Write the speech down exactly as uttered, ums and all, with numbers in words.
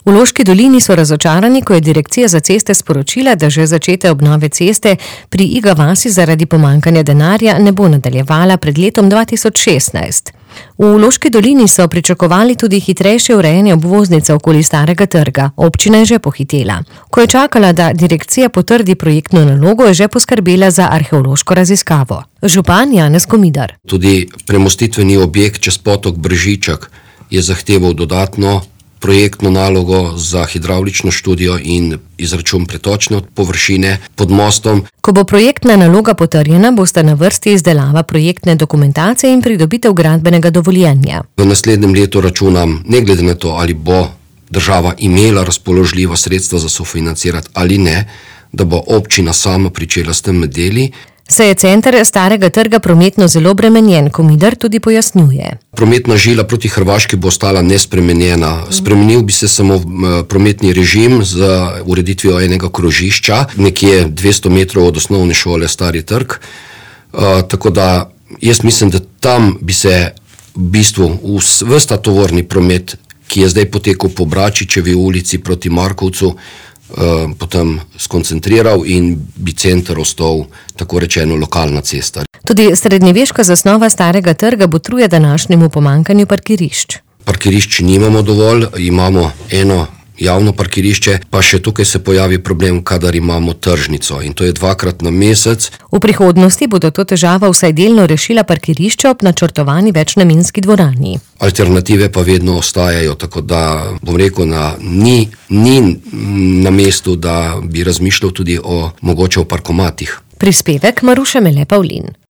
V Loški dolini so razočarani, ko je Direkcija za ceste sporočila, da že začete obnove ceste pri Iga vasi zaradi pomanjkanja denarja ne bo nadaljevala pred letom dva tisoč šestnajst. V Loški dolini so pričakovali tudi hitrejše urejanje obvoznice okoli Starega trga. Občina je že pohitela. Ko je čakala, da direkcija potrdi projektno nalogo, je že poskrbela za arheološko raziskavo. Župan Janez Komidar. Tudi premostitveni objekt čez potok Bržičak je zahteval dodatno projektno nalogo za hidravlično študijo in izračun pretočne površine pod mostom. Ko bo projektna naloga potrjena, bosta na vrsti izdelava projektne dokumentacije in pridobitev gradbenega dovoljenja. V naslednjem letu računam, ne glede na to, ali bo država imela razpoložljiva sredstva za sofinancirati ali ne, da bo občina sama pričela s tem deli. Se je center Starega trga prometno zelo bremenjen, Komidar tudi pojasnjuje. Prometna žila proti Hrvaški bo ostala nespremenjena. Spremenil bi se samo prometni režim z ureditvijo enega krožišča, nekje dvesto metrov od osnovne šole Stari trg. Uh, tako da jaz mislim, da tam bi se v bistvu ves ta tovorni promet, ki je zdaj potekal po Bračičevi ulici proti Markovcu, Uh, potem skoncentriral in bi center ostal, tako rečeno, lokalna cesta. Tudi srednjeveška zasnova Starega trga botruje današnjemu pomanjkanju parkirišč. Parkirišč nimamo dovolj, imamo eno javno parkirišče, pa še tukaj se pojavi problem, kadar imamo tržnico in to je dvakrat na mesec. V prihodnosti bodo to težavo vsaj delno rešila parkirišča ob načrtovani večnamenski dvorani. Alternative pa vedno ostajajo, tako da bom rekel, na, ni, ni na mestu, da bi razmišljal tudi o mogoče o parkomatih. Prispevek Maruše Mele Pavlin.